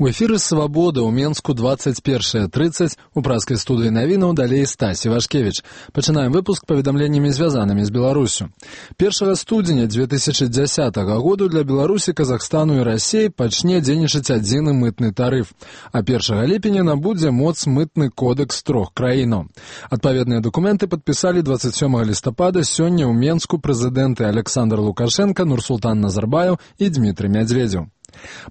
У эфіры «Свабода» ў Менску 21:30 у праскай студыі навінаў далей Стась Івашкевіч. Пачынаем выпуск паведамленнямі, звязанымі з Беларусю. 1 студзеня 2010 году для Беларусі, Казахстану і Расіі пачне дзейнічаць адзіны мытны тарыф, а 1 ліпеня набудзе моц мытны кодекс трох краінаў. Адпаведныя дакументы падпісалі 27 лістапада сёння ў Менску прэзідэнты Александр Лукашенко, Нурсултан Назарбаев і Дмітрый Медведзеў.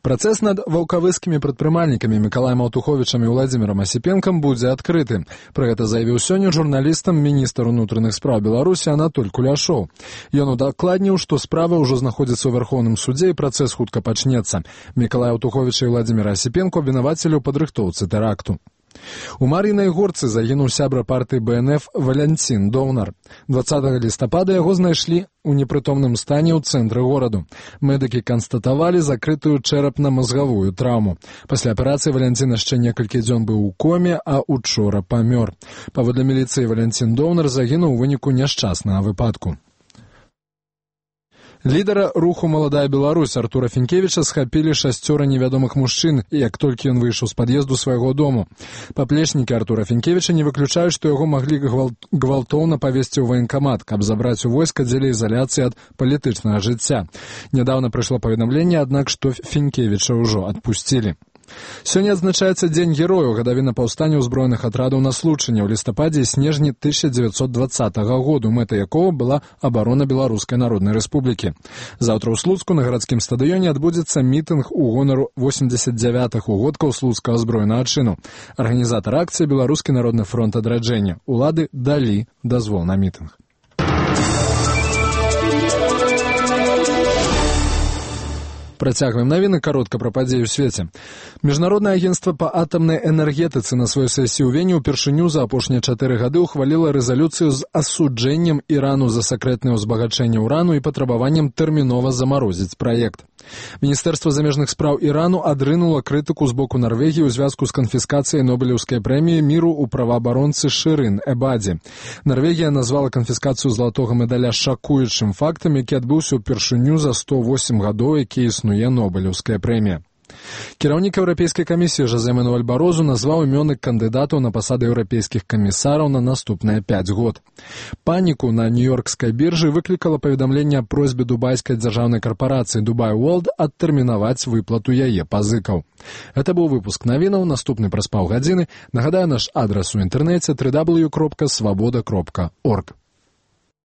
Працэс над ваўкавыскімі прадпрымальнікамі Мікалаем Аўтуховічам і Владзімірам Асіпенкам будзе адкрыты. Пра гэта заявіў сёння журналістам міністр унутраных спраў Беларусі Анатоль Куляшоў. Ён удакладніў, што справа ўжо знаходзіцца ў Вярхоўным судзе і працэс хутка пачнецца. Мікалая Аўтуховіча і Владзіміра Асіпенко абвінавацілі ў падрыхтоўцы тэракту. У Мар'інай Горцы загінуў сябра партыі БНФ Валянцін Доўнар. 20 лістапада яго знайшлі у непрытомным стане ў цэнтры гораду. Медыкі канстатавалі закрытую чэрапна-мазгавую траўму. Пасля аперацыі Валянцін яшчэ некалькі дзён быў у коме, а учора памёр. Паводле міліцыі, Валянцін Доўнар загінуў у выніку няшчаснага выпадку. Лідара руху «Маладая Беларусь» Артура Фінкевіча схапілі 6 невядомых мужчын, як толькі ён выйшаў з пад'езду свайго дому. Паплечнікі Артура Фінкевіча не выключаюць, што яго маглі гвалтоўна павесці ў ваенкамат, каб забраць у войска дзеля ізаляцыі ад палітычнага жыцця. Нядаўна прыйшло паведамленне, аднак, што Фінкевіча ўжо адпусцілі. Сёння адзначаецца Дзень герояў, гадавіна паўстання ўзброеных атрадаў на Случыне ў лістападзе і снежні 1920 году, мэтай якога была абарона Беларускай Народнай Рэспублікі. Заўтра ў Слуцку на гарадскім стадыёне адбудзецца мітынг у гонару 89-х угодкаў слуцкага збройнага чыну. Арганізатар акцыі Беларускі народны фронт адраджэння. Улады далі дазвол на мітынг. Працягваем навіны каротка пра падзеі ў свеце. Міжнароднае агенцтва па атамнай энергетыцы на сваёй сесіі ў Вене ўпершыню за апошнія 4 гады ўхваліла рэзалюцыю з асуджэннем Ірану за сакрэтнае ўзбагачэнне ўрану і патрабаваннем тэрмінова замарозіць праект. Міністэрства замежных спраў Ірану адрынула крытыку з боку Нарвегіі ў звязку з канфіскацыяй Нобелеўскай прэміі міру ў праваабаронцы Шырын Эбадзі. Нарвегія назвала канфіскацыю залатога медаля шакуючым фактам, які адбыўся ўпершыню за 108 гадоў, які існуе Нобелеўская прэмія. Кіраўнік Еўрапейскай камісіі Жозе Мануэль Барозу назваў імёны кандыдатаў на пасады еўрапейскіх камісараў на наступныя 5 год. Паніку на нью-йоркскай біржы выклікала паведамленне аб просьбе дубайскай дзяржаўнай карпарацыі Dubai World адтэрмінаваць выплату яе пазыкаў. Гэта быў выпуск навінаў, наступны праз паўгадзіны. Нагадаю, наш адрас у інтэрнэце www.swaboda.org.